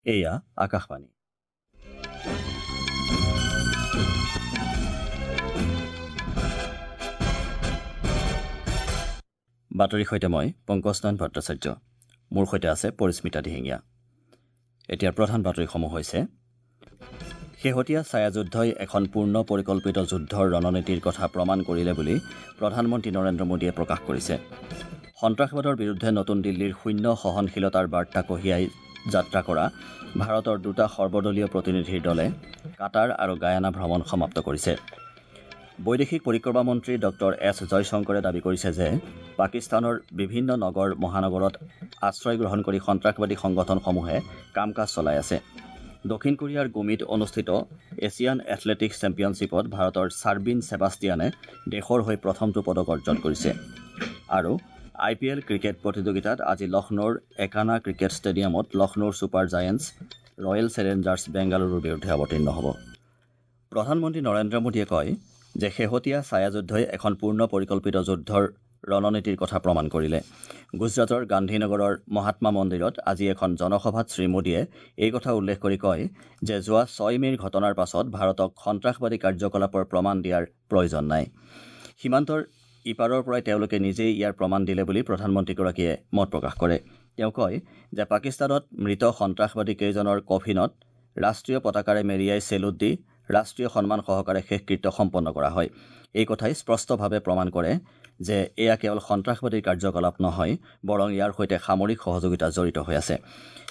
এয়া আকাশবাণী। বাতৰিৰ সৈতে মই পংকজ নাৰায়ণ ভট্টাচাৰ্য। মোৰ সৈতে আছে পৰিস্মিতা দিহিঙীয়া। এতিয়া প্ৰধান বাতৰিসমূহ হৈছে: শেহতীয়া ছায়াযুদ্ধই এখন পূৰ্ণ পৰিকল্পিত যুদ্ধৰ ৰণনীতিৰ কথা প্ৰমাণ কৰিলে বুলি প্ৰধানমন্ত্ৰী নৰেন্দ্ৰ মোদীয়ে প্ৰকাশ কৰিছে। সন্ত্ৰাসবাদৰ বিৰুদ্ধে নতুন দিল্লীৰ শূন্য সহনশীলতাৰ বাৰ্তা কঢ়িয়াই যাত্ৰা কৰা ভাৰতৰ দুটা সৰ্বদলীয় প্ৰতিনিধিৰ দলে কাটাৰ আৰু গায়ানা ভ্ৰমণ সমাপ্ত কৰিছে। বৈদেশিক পৰিক্ৰমা মন্ত্ৰী ডক্টৰ এছ জয়শংকৰে দাবী কৰিছে যে পাকিস্তানৰ বিভিন্ন নগৰ মহানগৰত আশ্ৰয় গ্ৰহণ কৰি সন্ত্ৰাসবাদী সংগঠনসমূহে কাম কাজ চলাই আছে। দক্ষিণ কোৰিয়াৰ গুমিত অনুষ্ঠিত এছিয়ান এথলেটিকছ চেম্পিয়নশ্বিপত ভাৰতৰ ছাৰ্বিন ছেবাষ্টিয়ানে দেশৰ হৈ প্ৰথমটো পদক অৰ্জন কৰিছে। আৰু আই পি এল ক্ৰিকেট প্ৰতিযোগিতাত আজি লক্ষ্ণৌৰ একানা ক্ৰিকেট ষ্টেডিয়ামত লক্ষ্ণৌৰ ছুপাৰ জায়েণ্টছ ৰয়েল চেলেঞ্জাৰ্ছ বেংগালুৰুৰ বিৰুদ্ধে অৱতীৰ্ণ হ'ব। প্ৰধানমন্ত্ৰী নৰেন্দ্ৰ মোদীয়ে কয় যে শেহতীয়া ছায়াযুদ্ধই এখন পূৰ্ণ পৰিকল্পিত যুদ্ধৰ ৰণনীতিৰ কথা প্ৰমাণ কৰিলে। গুজৰাটৰ গান্ধীনগৰৰ মহাত্মা মন্দিৰত আজি এখন জনসভাত শ্ৰীমোদীয়ে এই কথা উল্লেখ কৰি কয় যে যোৱা 6 মে'ৰ ঘটনাৰ পাছত ভাৰতক সন্ত্ৰাসবাদী কাৰ্যকলাপৰ প্ৰমাণ দিয়াৰ প্ৰয়োজন নাই। সীমান্তৰ ইপাৰৰ পৰাই তেওঁলোকে নিজেই ইয়াৰ প্ৰমাণ দিলে বুলি প্ৰধানমন্ত্ৰীগৰাকীয়ে মত প্ৰকাশ কৰে। তেওঁ কয় যে পাকিস্তানত মৃত সন্ত্ৰাসবাদী কেইজনৰ কফিনত ৰাষ্ট্ৰীয় পতাকাৰে মেৰিয়াই চেলুট দি ৰাষ্ট্ৰীয় সন্মান সহকাৰে শেষকৃত্য সম্পন্ন কৰা হয়। এই কথাই স্পষ্টভাৱে প্ৰমাণ কৰে যে এয়া কেৱল সন্ত্ৰাসবাদীৰ কাৰ্যকলাপ নহয়, বৰং ইয়াৰ সৈতে সামৰিক সহযোগিতা জড়িত হৈ আছে।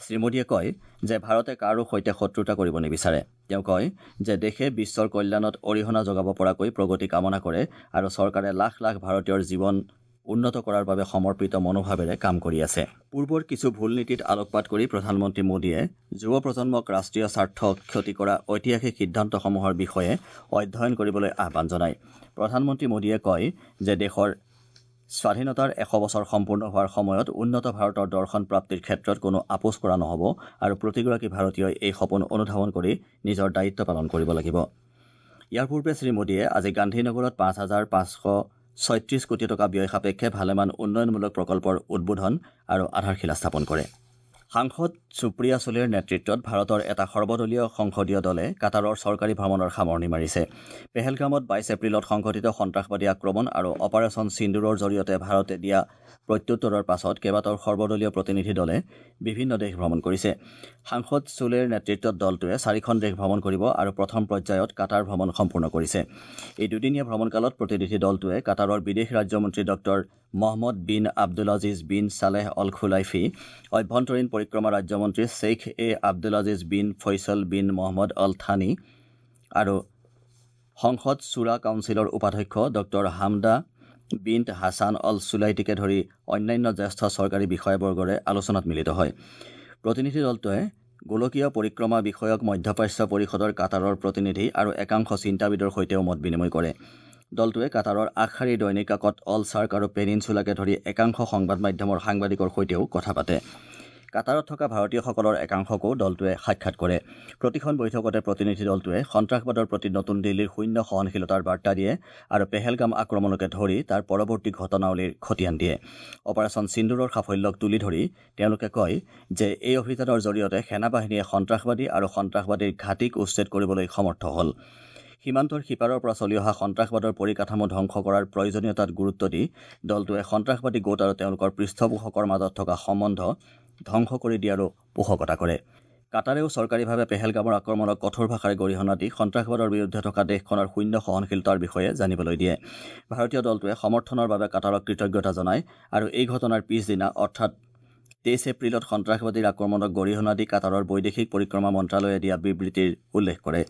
শ্ৰীমোদীয়ে কয় যে ভাৰতে কাৰো সৈতে শত্ৰুতা কৰিব নিবিচাৰে। তেওঁ কয় যে দেশে বিশ্বৰ কল্যাণত অৰিহণা যোগাব পৰাকৈ প্ৰগতি কামনা কৰে আৰু চৰকাৰে লাখ লাখ ভাৰতীয়ৰ জীৱন উন্নত কৰাৰ বাবে সমৰ্পিত মনোভাৱেৰে কাম কৰি আছে। পূৰ্বৰ কিছু ভুল নীতিত আলোকপাত কৰি প্ৰধানমন্ত্ৰী মোদীয়ে যুৱ প্ৰজন্মক ৰাষ্ট্ৰীয় স্বাৰ্থ ক্ষতি কৰা ঐতিহাসিক সিদ্ধান্তসমূহৰ বিষয়ে অধ্যয়ন কৰিবলৈ আহ্বান জনায়। প্ৰধানমন্ত্ৰী মোদীয়ে কয় যে দেশৰ স্বাধীনতাৰ 100 বছৰ সম্পূৰ্ণ হোৱাৰ সময়ত উন্নত ভাৰতৰ দৰ্শন প্ৰাপ্তিৰ ক্ষেত্ৰত কোনো আপোচ কৰা নহ'ব আৰু প্ৰতিগৰাকী ভাৰতীয়ই এই সপোন অনুধাৱন কৰি নিজৰ দায়িত্ব পালন কৰিব লাগিব। ইয়াৰ পূৰ্বে শ্ৰীমোদীয়ে আজি গান্ধীনগৰত 5,536 কোটি টকা ব্যয় সাপেক্ষে ভালেমান উন্নয়নমূলক প্ৰকল্পৰ উদ্বোধন আৰু আধাৰশিলা স্থাপন কৰে। সাংসদ সুপ্ৰিয়া চুলেৰ নেতৃত্বত ভাৰতৰ এটা সৰ্বদলীয় সংসদীয় দলে কাটাৰৰ চৰকাৰী ভ্ৰমণৰ সামৰণি মাৰিছে। পেহেলগামত 22 এপ্ৰিলত সংঘটিত সন্ত্ৰাসবাদী আক্ৰমণ আৰু অপাৰেচন সিন্দুৰৰ জৰিয়তে ভাৰতে দিয়া প্ৰত্যুত্তৰৰ পাছত কেইবাটাও সৰ্বদলীয় প্ৰতিনিধি দলে বিভিন্ন দেশ ভ্ৰমণ কৰিছে। সাংসদ চুলেৰ নেতৃত্বত দলটোৱে 4খন দেশ ভ্ৰমণ কৰিব আৰু প্ৰথম পৰ্যায়ত কাটাৰ ভ্ৰমণ সম্পূৰ্ণ কৰিছে। এই দুদিনীয়া ভ্ৰমণকালত প্ৰতিনিধি দলটোৱে কাটাৰৰ বিদেশ ৰাজ্যমন্ত্ৰী doctor Mohammed bin Abdulaziz bin Saleh Al Khulaifi, অভ্যন্তৰীণ পৰিক্ৰমা ৰাজ্যমন্ত্ৰী Sheikh A Abdulaziz bin Faisal bin Mohammed Al Thani আৰু সংসদ ছুৰা কাউন্সিলৰ উপাধ্যক্ষ ডক্টৰ হামদা বিন হাছান অল চুলাইটিকে ধৰি অন্যান্য জ্যেষ্ঠ চৰকাৰী বিষয়াবৰ্গৰে আলোচনাত মিলিত হয়। প্ৰতিনিধি দলটোৱে গোলকীয় পৰিক্ৰমা বিষয়ক মধ্যপ্ৰাচ্য পৰিষদৰ কাটাৰৰ প্ৰতিনিধি আৰু একাংশ চিন্তাবিদৰ সৈতেও মত বিনিময় কৰে। দলটোৱে কাটাৰৰ আগশাৰীৰ দৈনিক কাকত অল চাৰ্ক আৰু পেনিনচুলাকে ধৰি একাংশ সংবাদ মাধ্যমৰ সাংবাদিকৰ সৈতেও কথা পাতে। কাটাৰত থকা ভাৰতীয়সকলৰ একাংশকো দলটোৱে সাক্ষাৎ কৰে। প্ৰতিখন বৈঠকতে প্ৰতিনিধি দলটোৱে সন্ত্ৰাসবাদৰ প্ৰতি নতুন দিল্লীৰ শূন্য সহনশীলতাৰ বাৰ্তা দিয়ে আৰু পেহেলগাম আক্ৰমণকে ধৰি তাৰ পৰৱৰ্তী ঘটনাৱলীৰ খতিয়ান দিয়ে। অপাৰেচন সিন্দুৰৰ সাফল্যক তুলি ধৰি তেওঁলোকে কয় যে এই অভিযানৰ জৰিয়তে সেনাবাহিনীয়ে সন্ত্ৰাসবাদী আৰু সন্ত্ৰাসবাদীৰ ঘাটিক উচ্ছেদ কৰিবলৈ সমৰ্থ হ'ল। সীমান্তৰ সিপাৰৰ পৰা চলি অহা সন্ত্ৰাসবাদৰ পৰিকাঠামো ধ্বংস কৰাৰ প্ৰয়োজনীয়তাত গুৰুত্ব দি দলটোৱে সন্ত্ৰাসবাদী গোট আৰু তেওঁলোকৰ পৃষ্ঠপোষকৰ মাজত থকা সম্বন্ধ ধ্বংস কৰি দিয়াৰো পোষকতা কৰে। কাটাৰেও চৰকাৰীভাৱে পেহেলগামৰ আক্ৰমণক কঠোৰ ভাষাৰে গৰিহণা দি সন্ত্ৰাসবাদৰ বিৰুদ্ধে থকা দেশখনৰ শূন্য সহনশীলতাৰ বিষয়ে জানিবলৈ দিয়ে। ভাৰতীয় দলটোৱে সমৰ্থনৰ বাবে কাটাৰক কৃতজ্ঞতা জনায় আৰু এই ঘটনাৰ পিছদিনা অৰ্থাৎ 23 এপ্ৰিলত সন্ত্ৰাসবাদীৰ আক্ৰমণক গৰিহণা দি কাটাৰৰ বৈদেশিক পৰিক্ৰমা মন্ত্ৰালয়ে দিয়া বিবৃতিৰ উল্লেখ কৰে।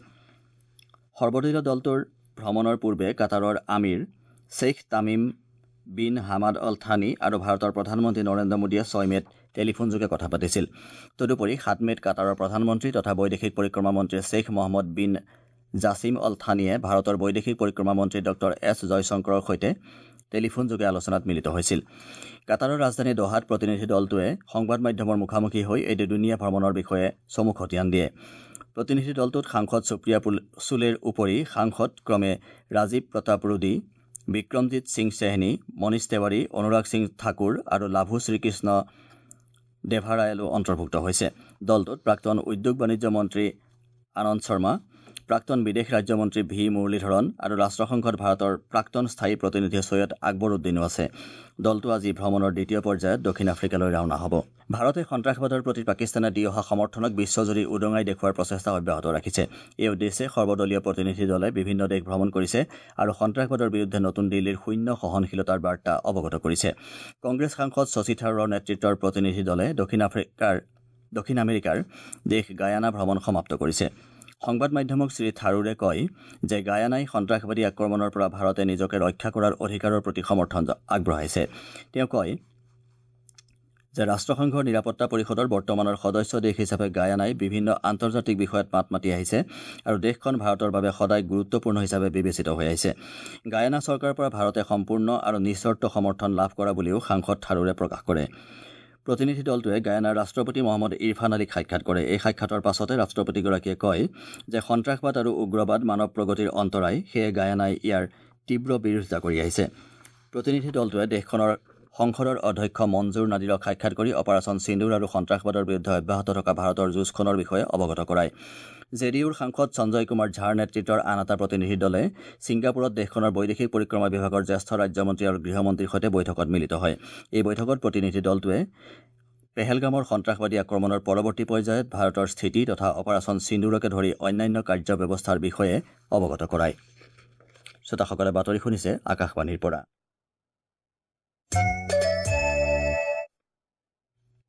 সৰ্বদলীয় দলটোৰ ভ্ৰমণৰ পূৰ্বে কাটাৰৰ Aamir Sheikh Tamim bin Hamad Al Thani আৰু ভাৰতৰ প্ৰধানমন্ত্ৰী নৰেন্দ্ৰ মোদীয়ে 6 মে'ত টেলিফোনযোগে কথা পাতিছিল। তদুপৰি 7 মে'ত কাটাৰৰ প্ৰধানমন্ত্ৰী তথা বৈদেশিক পৰিক্ৰমা মন্ত্ৰী Sheikh Mohammed bin Jassim Al থানীয়ে ভাৰতৰ বৈদেশিক পৰিক্ৰমা মন্ত্ৰী ডক্টৰ এছ জয়শংকৰৰ সৈতে টেলিফোনযোগে আলোচনাত মিলিত হৈছিল। কাটাৰৰ ৰাজধানী দোহাত প্ৰতিনিধি দলটোৱে সংবাদ মাধ্যমৰ মুখামুখি হৈ এই দুদিনীয়া ভ্ৰমণৰ বিষয়ে চমু খতিয়ান দিয়ে। প্ৰতিনিধি দলটোত সাংসদ সুপ্ৰিয়া চুলেৰ উপৰি সাংসদ ক্ৰমে ৰাজীৱ প্ৰতাপ ৰুডী, বিক্ৰমজিৎ সিং চেহনী, মনীষ তিৱাৰী, অনুৰাগ সিং ঠাকুৰ আৰু লাভু শ্ৰীকৃষ্ণ দেভাৰায়ালো অন্তৰ্ভুক্ত হৈছে। দলটোত প্ৰাক্তন উদ্যোগ বাণিজ্য মন্ত্ৰী আনন্দ শৰ্মা, প্ৰাক্তন বিদেশ ৰাজ্যমন্ত্ৰী ভি মুৰলীধৰণ আৰু ৰাষ্ট্ৰসংঘত ভাৰতৰ প্ৰাক্তন স্থায়ী প্ৰতিনিধি চৈয়দ আকবৰ উদ্দিনো আছে। দলটো আজি ভ্ৰমণৰ দ্বিতীয় পৰ্যায়ত দক্ষিণ আফ্ৰিকালৈ ৰাওনা হ'ব। ভাৰতে সন্ত্ৰাসবাদৰ প্ৰতি পাকিস্তানে দি অহা সমৰ্থনক বিশ্বজুৰি উদঙাই দেখুওৱাৰ প্ৰচেষ্টা অব্যাহত ৰাখিছে। এই উদ্দেশ্যে সৰ্বদলীয় প্ৰতিনিধি দলে বিভিন্ন দেশ ভ্ৰমণ কৰিছে আৰু সন্ত্ৰাসবাদৰ বিৰুদ্ধে নতুন দিল্লীৰ শূন্য সহনশীলতাৰ বাৰ্তা অৱগত কৰিছে। কংগ্ৰেছ সাংসদ শশী থাৰুৰৰ নেতৃত্বৰ প্ৰতিনিধি দলে দক্ষিণ আমেৰিকাৰ দেশ গায়ানা ভ্ৰমণ সমাপ্ত কৰিছে। সংবাদ মাধ্যমক শ্ৰী থাৰুৰে কয় যে গায়ানাই সন্ত্ৰাসবাদী আক্ৰমণৰ পৰা ভাৰতে নিজকে ৰক্ষা কৰাৰ অধিকাৰৰ প্ৰতি সমৰ্থন আগবঢ়াইছে। তেওঁ কয় যে ৰাষ্ট্ৰসংঘৰ নিৰাপত্তা পৰিষদৰ বৰ্তমানৰ সদস্য দেশ হিচাপে গায়ানাই বিভিন্ন আন্তৰ্জাতিক বিষয়ত মাত মাতি আহিছে আৰু দেশখন ভাৰতৰ বাবে সদায় গুৰুত্বপূৰ্ণ হিচাপে বিবেচিত হৈ আহিছে। গায়ানা চৰকাৰৰ পৰা ভাৰতে সম্পূৰ্ণ আৰু নিঃচৰ্ত সমৰ্থন লাভ কৰা বুলিও সাংসদ থাৰুৰে প্ৰকাশ কৰে। প্ৰতিনিধি দলটোৱে গায়ানাৰ ৰাষ্ট্ৰপতি মহম্মদ ইৰফান আলীক সাক্ষাৎ কৰে। এই সাক্ষাতৰ পাছতে ৰাষ্ট্ৰপতিগৰাকীয়ে কয় যে সন্ত্ৰাসবাদ আৰু উগ্ৰবাদ মানৱ প্ৰগতিৰ অন্তৰায়, সেয়ে গায়ানাই ইয়াৰ তীব্ৰ বিৰোধিতা কৰি আহিছে। প্ৰতিনিধি দলটোৱে দেশখনৰ সংসদৰ অধ্যক্ষ মঞ্জুৰ নাদিৰক সাক্ষাৎ কৰি অপাৰেচন সিন্দুৰ আৰু সন্ত্ৰাসবাদৰ বিৰুদ্ধে অব্যাহত থকা ভাৰতৰ যুঁজখনৰ বিষয়ে অৱগত কৰায়। জে ডি ইউৰ সাংসদ সঞ্জয় কুমাৰ ঝাৰ নেতৃত্বৰ আন এটা প্ৰতিনিধি দলে ছিংগাপুৰত দেশখনৰ বৈদেশিক পৰিক্ৰমা বিভাগৰ জ্যেষ্ঠ ৰাজ্যমন্ত্ৰী আৰু গৃহমন্ত্ৰীৰ সৈতে বৈঠকত মিলিত হয়। এই বৈঠকত প্ৰতিনিধি দলটোৱে পেহেলগামৰ সন্ত্ৰাসবাদী আক্ৰমণৰ পৰৱৰ্তী পৰ্যায়ত ভাৰতৰ স্থিতি তথা অপাৰেচন সিন্দুৰকে ধৰি অন্যান্য কাৰ্যব্যৱস্থাৰ বিষয়ে অৱগত কৰায়। শ্ৰোতাসকলে বাতৰি শুনিছে আকাশবাণীৰ পৰা।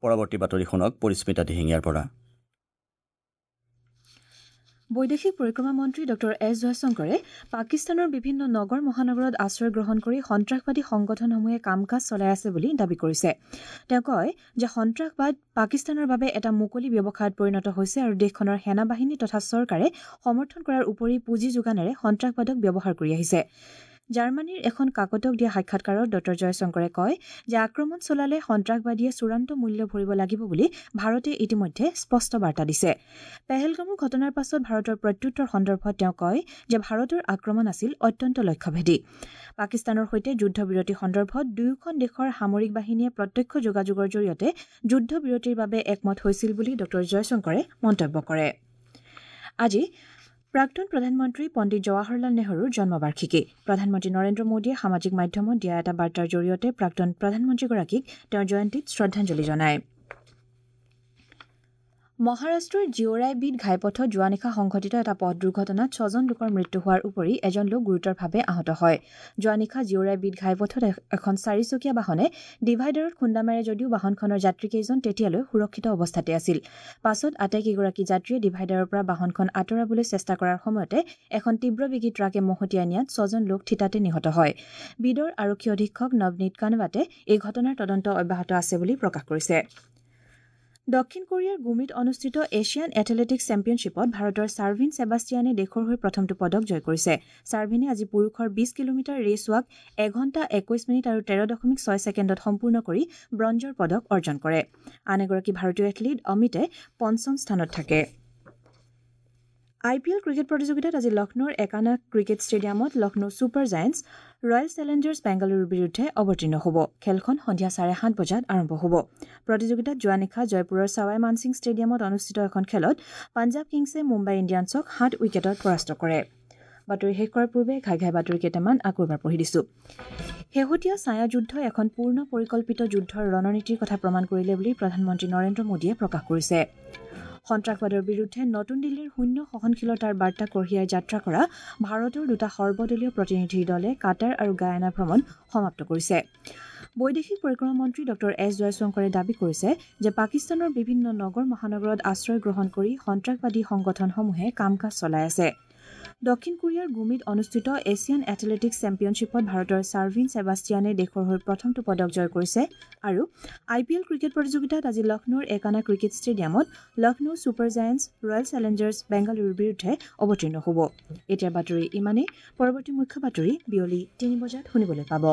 পৰৱৰ্তী বাতৰি শুনক পৰিস্মিতা দিহিঙীয়াৰ পৰা। বৈদেশিক পৰিক্ৰমা মন্ত্ৰী ডঃ এছ জয়শংকৰে পাকিস্তানৰ বিভিন্ন নগৰ মহানগৰত আশ্ৰয় গ্ৰহণ কৰি সন্ত্ৰাসবাদী সংগঠনসমূহে কাম কাজ চলাই আছে বুলি দাবী কৰিছে। তেওঁ কয় যে সন্ত্ৰাসবাদ পাকিস্তানৰ বাবে এটা মুকলি ব্যৱসায়ত পৰিণত হৈছে আৰু দেশখনৰ সেনাবাহিনী তথা চৰকাৰে সমৰ্থন কৰাৰ উপৰি পুঁজি যোগানেৰে সন্ত্ৰাসবাদক ব্যৱহাৰ কৰি আহিছে। জাৰ্মানীৰ এখন কাকতক দিয়া সাক্ষাৎকাৰত ডঃ জয়শংকৰে কয় যে আক্ৰমণ চলালে সন্ত্ৰাসবাদীয়ে চূড়ান্ত মূল্য ভৰিব লাগিব বুলি ভাৰতে ইতিমধ্যে স্পষ্ট বাৰ্তা দিছে। পেহেলগামৰ ঘটনাৰ পাছত ভাৰতৰ প্ৰত্যুত্তৰ সন্দৰ্ভত তেওঁ কয় যে ভাৰতৰ আক্ৰমণ আছিল অত্যন্ত লক্ষ্যভেদী। পাকিস্তানৰ সৈতে যুদ্ধবিৰতি সন্দৰ্ভত দুয়োখন দেশৰ সামৰিক বাহিনীয়ে প্ৰত্যক্ষ যোগাযোগৰ জৰিয়তে যুদ্ধবিৰতিৰ বাবে একমত হৈছিল বুলি ডঃ জয়শংকৰে মন্তব্য কৰে। আজি প্ৰাক্তন প্ৰধানমন্ত্ৰী পণ্ডিত জৱাহৰলাল নেহৰুৰ জন্মবাৰ্ষিকী। প্ৰধানমন্ত্ৰী নৰেন্দ্ৰ মোদীয়ে সামাজিক মাধ্যমত দিয়া এটা বাৰ্তাৰ জৰিয়তে প্ৰাক্তন প্ৰধানমন্ত্ৰীগৰাকীক তেওঁৰ জয়ন্তীত শ্ৰদ্ধাঞ্জলি জনায়। মহাৰাষ্ট্ৰৰ জিঅ'ৰাইবিড ঘাইপথত যোৱা নিশা সংঘটিত এটা পথ দুৰ্ঘটনাত ৬জন লোকৰ মৃত্যু হোৱাৰ উপৰি এজন লোক গুৰুতৰভাৱে আহত হয়। যোৱা নিশা জিঅ'ৰাইবিড ঘাইপথত এখন চাৰিচকীয়া বাহনে ডিভাইডাৰত খুন্দা মাৰে যদিও বাহনখনৰ যাত্ৰীকেইজন তেতিয়ালৈ সুৰক্ষিত অৱস্থাতে আছিল। পাছত আটাইকেইগৰাকী যাত্ৰীয়ে ডিভাইডাৰৰ পৰা বাহনখন আঁতৰাবলৈ চেষ্টা কৰাৰ সময়তে এখন তীব্ৰবেগী ট্ৰাকে মহতিয়াই নিয়াত ৬জন লোক থিতাতে নিহত হয়। বিদৰ আৰক্ষী অধীক্ষক নৱনীত কানৱাটে এই ঘটনাৰ তদন্ত অব্যাহত আছে বুলি প্ৰকাশ কৰিছে। দক্ষিণ কোৰিয়াৰ গুমিত অনুষ্ঠিত এছিয়ান এথলেটিকছ চেম্পিয়নশ্বিপত ভাৰতৰ ছাৰ্ভিন ছেবাষ্টিয়ানে দেশৰ হৈ প্ৰথমটো পদক জয় কৰিছে। ছাৰ্ভিনে আজি পুৰুষৰ ২০ কিলোমিটাৰ ৰেচ ৱাক ১ ঘণ্টা ২১ মিনিট আৰু ১৩.৬ ছেকেণ্ডত সম্পূৰ্ণ কৰি ব্ৰঞ্জৰ পদক অৰ্জন কৰে। আন এগৰাকী ভাৰতীয় এথলীট অমিতে পঞ্চম স্থানত থাকে। আই পি এল ক্ৰিকেট প্ৰতিযোগিতাত আজি লক্ষ্ণৌৰ একানা ক্ৰিকেট ষ্টেডিয়ামত Lucknow super giants royal challengers বেংগালুৰুৰ বিৰুদ্ধে অৱতীৰ্ণ হ'ব। খেলখন সন্ধিয়া ৭:৩০ বজাত আৰম্ভ হ'ব। প্ৰতিযোগিতাত যোৱা নিশা জয়পুৰৰ ছাৱাই মানসিং ষ্টেডিয়ামত অনুষ্ঠিত এখন খেলত পাঞ্জাৱ কিংছে মুম্বাই ইণ্ডিয়ানছক ৭ উইকেটত পৰাস্ত কৰে। বাতৰি শেষ কৰাৰ পূৰ্বে ঘাই ঘাই বাতৰি কেইটামান আকৌ এবাৰ পঢ়ি দিছোঁ। শেহতীয়া ছায়াযুদ্ধই এখন পূৰ্ণ পৰিকল্পিত যুদ্ধৰ ৰণনীতিৰ কথা প্ৰমাণ কৰিলে বুলি প্ৰধানমন্ত্ৰী নৰেন্দ্ৰ মোদীয়ে প্ৰকাশ কৰিছে। সন্ত্ৰাসবাদৰ বিৰুদ্ধে নতুন দিল্লীৰ শূন্য সহনশীলতাৰ বাৰ্তা কঢ়িয়াই যাত্ৰা কৰা ভাৰতৰ দুটা সৰ্বদলীয় প্ৰতিনিধিৰ দলে কাটাৰ আৰু গায়ানা ভ্ৰমণ সমাপ্ত কৰিছে। বৈদেশিক পৰিক্ৰমা মন্ত্ৰী ডঃ এছ জয়শংকৰে দাবী কৰিছে যে পাকিস্তানৰ বিভিন্ন নগৰ মহানগৰত আশ্ৰয় গ্ৰহণ কৰি সন্ত্ৰাসবাদী সংগঠনসমূহে কাম কাজ চলাই আছে। দক্ষিণ কোৰিয়াৰ গুমিত অনুষ্ঠিত এছিয়ান এথলেটিকছ চেম্পিয়নশ্বিপত ভাৰতৰ ছাৰ্ভিন ছেবাষ্টিয়ানে দেশৰ হৈ প্ৰথমটো পদক জয় কৰিছে আৰু আই পি এল ক্ৰিকেট প্ৰতিযোগিতাত আজি লক্ষ্ণৌৰ একানা ক্ৰিকেট ষ্টেডিয়ামত Lucknow super giants royal challengers বেংগালুৰুৰ বিৰুদ্ধে অৱতীৰ্ণ হ'ব। এতিয়াৰ বাতৰি ইমানেই। পৰৱৰ্তী মুখ্য বাতৰি বিয়লি ৩ বজাত শুনিবলৈ পাব।